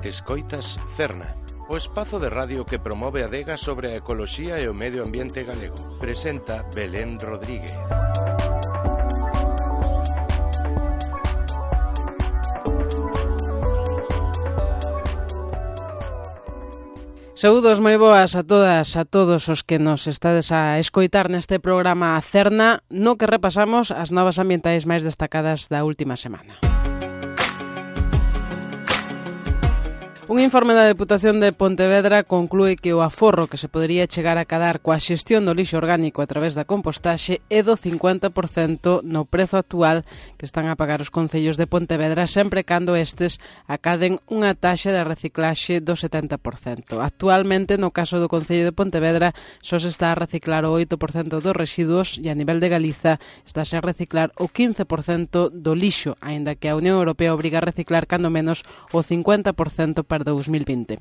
Escoitas Cerna, o espazo de radio que promove a adega sobre a ecoloxía e o medio ambiente galego. Presenta Belén Rodríguez. Saúdos moi boas a todas, a todos os que nos estades a escoitar neste programa Cerna, no que repasamos as novas ambientais máis destacadas da última semana. Un informe da Deputación de Pontevedra conclúe que o aforro que se podería chegar a cadar coa xestión do lixo orgánico a través da compostaxe é do 50% no prezo actual que están a pagar os concellos de Pontevedra sempre cando estes acaden unha taxa de reciclaxe do 70%. Actualmente, no caso do Concello de Pontevedra, só se está a reciclar o 8% dos residuos e a nivel de Galiza estáse a reciclar o 15% do lixo, aínda que a Unión Europea obriga a reciclar cando menos o 50% para 2020.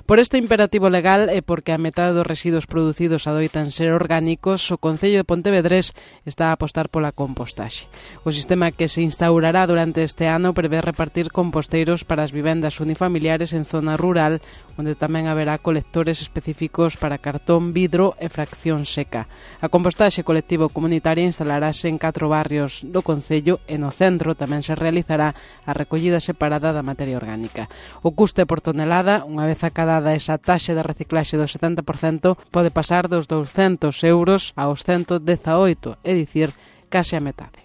Por este imperativo legal e porque a metade dos residuos producidos adoitan ser orgánicos, o Concello de Pontevedrés está a apostar pola compostaxe. O sistema que se instaurará durante este ano prevé repartir composteiros para as vivendas unifamiliares en zona rural, onde tamén haberá colectores específicos para cartón, vidro e fracción seca. A compostaxe colectivo comunitaria instalarase en 4 barrios do Concello e no centro tamén se realizará a recollida separada da materia orgánica. O custe por tonelada, unha vez acadada esa taxa de reciclaxe do 70%, pode pasar dos 200 euros aos 118, é dicir, case a metade.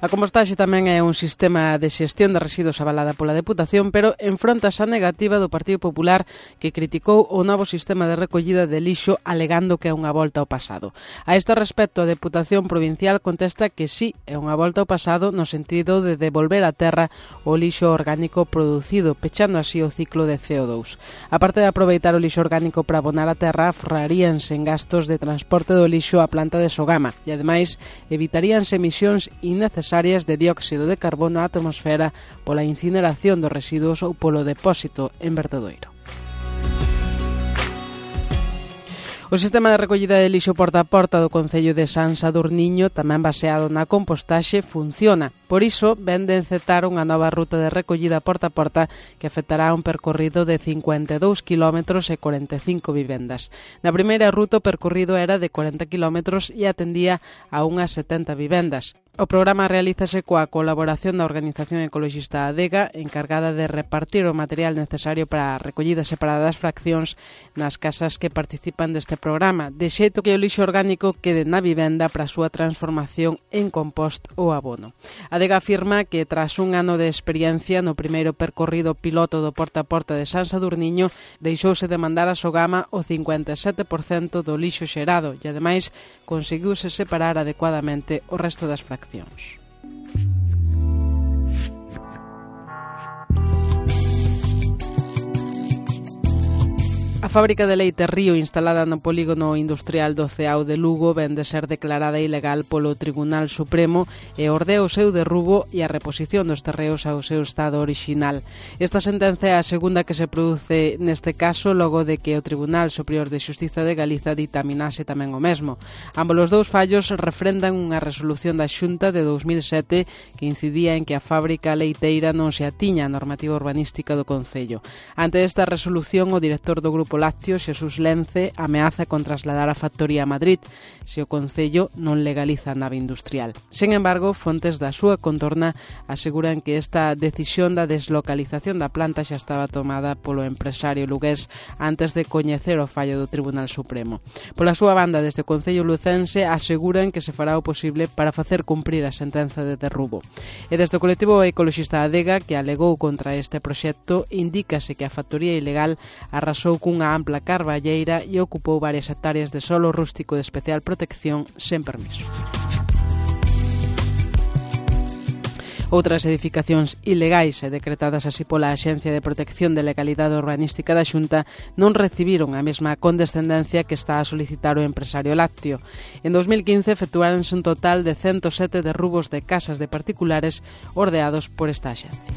A compostaxe tamén é un sistema de xestión de residuos avalada pola Deputación, pero enfrontas a negativa do Partido Popular, que criticou o novo sistema de recollida de lixo alegando que é unha volta ao pasado. A este respecto, a Deputación Provincial contesta que sí, é unha volta ao pasado no sentido de devolver á terra o lixo orgánico producido, pechando así o ciclo de CO2. A parte de aproveitar o lixo orgánico para abonar a terra, aforraríanse en gastos de transporte do lixo á planta de Sogama e, ademais, evitaríanse emisións innecesarias de dióxido de carbono á atmosfera pola incineración dos residuos ou polo depósito en vertedoiro. O sistema de recollida de lixo porta a porta do Concello de San Sadurniño, tamén baseado na compostaxe, funciona. Por iso, ven de encetar unha nova ruta de recollida porta a porta que afectará un percorrido de 52 km e 45 vivendas. Na primeira ruta, o percorrido era de 40 km e atendía a unhas 70 vivendas. O programa realízase coa colaboración da Organización Ecoloxista Adega, encargada de repartir o material necesario para a recollida separada das fraccións nas casas que participan deste programa, de xeito que o lixo orgánico quede na vivenda para a súa transformación en compost ou abono. Adega afirma que tras un ano de experiencia no primeiro percorrido piloto do porta a porta de San Sadurniño, deixouse de mandar a Sogama o 57% do lixo xerado e, ademais, conseguiuse separar adecuadamente o resto das fraccións. A fábrica de leite Río, instalada no polígono industrial do Ceao de Lugo, ven de ser declarada ilegal polo Tribunal Supremo e ordea o seu derrubo e a reposición dos terreos ao seu estado orixinal. Esta sentenza é a segunda que se produce neste caso, logo de que o Tribunal Superior de Xustiza de Galiza ditaminase tamén o mesmo. Ambos os dous fallos refrendan unha resolución da Xunta de 2007 que incidía en que a fábrica leiteira non se atiña á normativa urbanística do Concello. Ante esta resolución, o director do Grupo Lácteo, Xesús Lence, ameaza con trasladar a factoría a Madrid se o Concello non legaliza a nave industrial. Sen embargo, fontes da súa contorna aseguran que esta decisión da deslocalización da planta xa estaba tomada polo empresario lugués antes de coñecer o fallo do Tribunal Supremo. Pola súa banda, desde o Concello lucense aseguran que se fará o posible para facer cumprir a sentenza de derrubo. E desde o colectivo ecoloxista Adega, que alegou contra este proxecto, indícase que a factoría ilegal arrasou cunha ampla carballeira e ocupou varias hectáreas de solo rústico de especial protección sen permiso. Outras edificacións ilegais e decretadas así pola Axencia de Protección de Legalidade Urbanística da Xunta non recibiron a mesma condescendencia que está a solicitar o empresario lácteo. En 2015 efectuáronse un total de 107 derrubos de casas de particulares ordeados por esta axencia.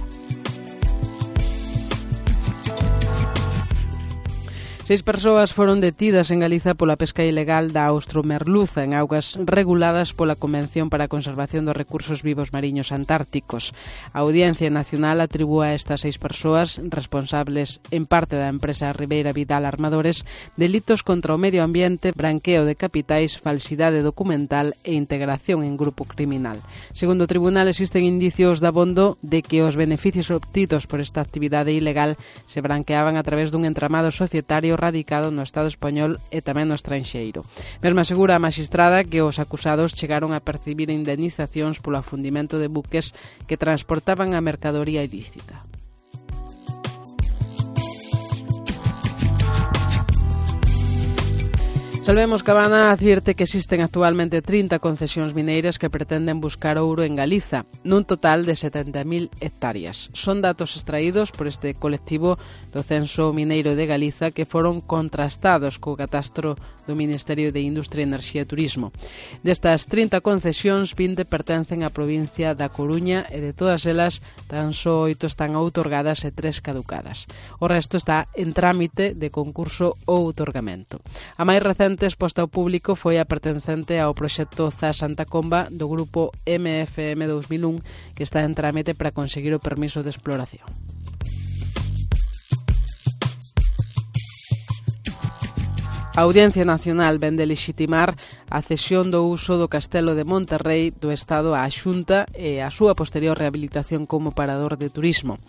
6 persoas foron detidas en Galiza pola pesca ilegal da austromerluza en augas reguladas pola Convención para a Conservación dos Recursos Vivos Mariños Antárticos. A Audiencia Nacional atribúe a estas 6 persoas, responsables en parte da empresa Ribeira Vidal Armadores, delitos contra o medio ambiente, branqueo de capitais, falsidade documental e integración en grupo criminal. Segundo o tribunal, existen indicios dabondo de que os beneficios obtidos por esta actividade ilegal se branqueaban a través dun entramado societario radicado no Estado español e tamén no estranxeiro. Mesmo asegura a magistrada que os acusados chegaron a percibir indemnizacións polo afundimento de buques que transportaban a mercadoría ilícita. Salvemos Cabana advierte que existen actualmente 30 concesións mineiras que pretenden buscar ouro en Galiza, nun total de 70.000 hectáreas. Son datos extraídos por este colectivo do Censo Mineiro de Galiza que foron contrastados co catastro do Ministerio de Industria, Enerxía e Turismo. Destas 30 concesións, 20 pertencen á provincia da Coruña e de todas elas tan só 8 están outorgadas e 3 caducadas. O resto está en trámite de concurso ou outorgamento. A máis recente exposta ao público foi a pertencente ao proxecto ZA Santa Comba do grupo MFM 2001 que está en trámite para conseguir o permiso de exploración. A Audiencia Nacional ven de lexitimar a cesión do uso do Castelo de Monterrey do Estado á Xunta e a súa posterior rehabilitación como parador de turismo.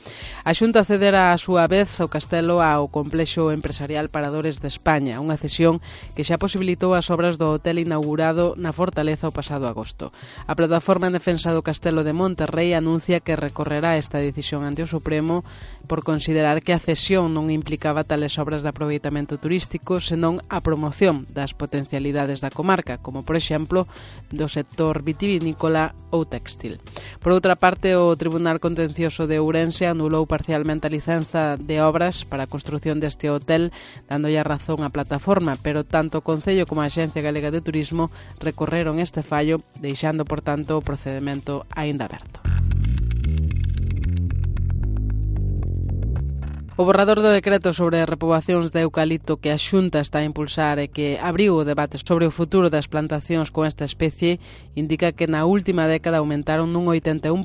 A Xunta cedera a súa vez o castelo ao Complexo Empresarial Paradores de España, unha cesión que xa posibilitou as obras do hotel inaugurado na Fortaleza o pasado agosto. A plataforma en defensa do Castelo de Monterrey anuncia que recorrerá esta decisión ante o Supremo por considerar que a cesión non implicaba tales obras de aproveitamento turístico, senón a promoción das potencialidades da comarca, como por exemplo do sector vitivinícola ou textil. Por outra parte, o Tribunal Contencioso de Ourense anulou parcialmente a licenza de obras para a construción deste hotel, dándolle a razón á plataforma, pero tanto o Concello como a Axencia Galega de Turismo recorreron este fallo, deixando, por tanto, o procedemento aínda aberto. O borrador do decreto sobre repoboacións de eucalipto que a Xunta está a impulsar e que abriu o debate sobre o futuro das plantacións con esta especie indica que na última década aumentaron nun 81%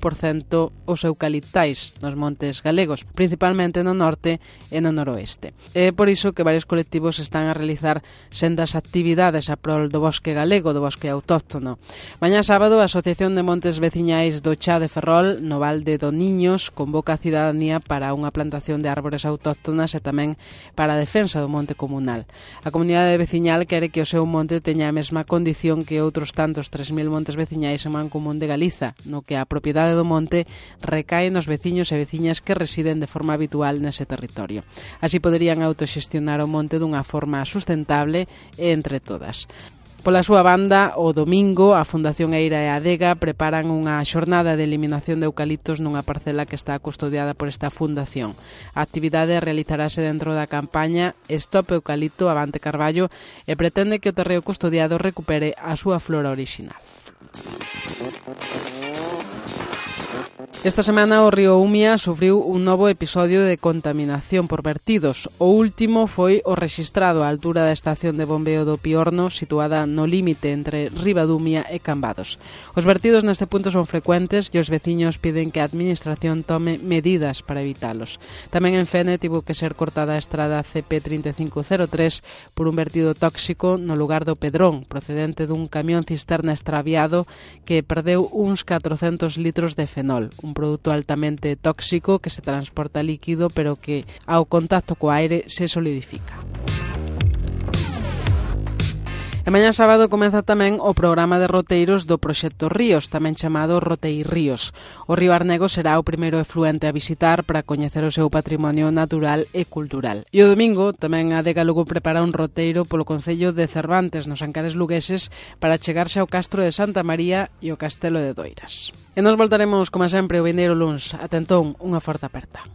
os eucaliptais nos montes galegos, principalmente no norte e no noroeste. É por iso que varios colectivos están a realizar sendas actividades a prol do bosque galego, do bosque autóctono. Mañá sábado, a Asociación de Montes Veciñais do Chá de Ferrol, no Val de Doniños, convoca a cidadanía para unha plantación de árbores autóctonas e tamén para a defensa do monte comunal. A comunidade veciñal quere que o seu monte teña a mesma condición que outros tantos 3.000 montes veciñais en Man Común de Galiza, no que a propiedade do monte recae nos veciños e veciñas que residen de forma habitual nese territorio. Así poderían autoxestionar o monte dunha forma sustentable e entre todas. Pola súa banda, o domingo, a Fundación Eira e a Adega preparan unha xornada de eliminación de eucaliptos nunha parcela que está custodiada por esta fundación. A actividade realizarase dentro da campaña Stop Eucalipto Avante Carballo e pretende que o terreo custodiado recupere a súa flora orixinal. Esta semana o río Umia sufriu un novo episodio de contaminación por vertidos. O último foi o rexistrado á altura da estación de bombeo do Piorno, situada no límite entre Ribadumia e Cambados. Os vertidos neste punto son frecuentes e os veciños piden que a administración tome medidas para evitalos. Tamén en Fene tivo que ser cortada a estrada CP3503 por un vertido tóxico no lugar do Pedrón, procedente dun camión cisterna extraviado que perdeu uns 400 litros de fenol, un produto altamente tóxico que se transporta líquido pero que ao contacto co aire se solidifica. E mañá sábado comeza tamén o programa de roteiros do Proxecto Ríos, tamén chamado Rotei Ríos. O río Arnego será o primeiro efluente a visitar para coñecer o seu patrimonio natural e cultural. E o domingo tamén a Adega Lugo prepara un roteiro polo concello de Cervantes, nos Ancares lugueses, para chegarse ao Castro de Santa María e o Castelo de Doiras. E nos voltaremos, como sempre, o vindeiro luns. Atentón, unha forte aperta.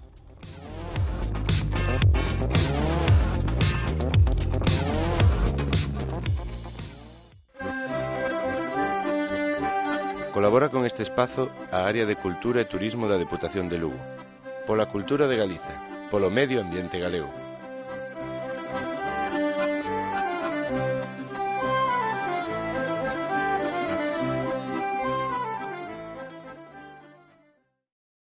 Colabora con este espazo a Área de Cultura e Turismo da Deputación de Lugo. Pola cultura de Galiza, polo medio ambiente galego.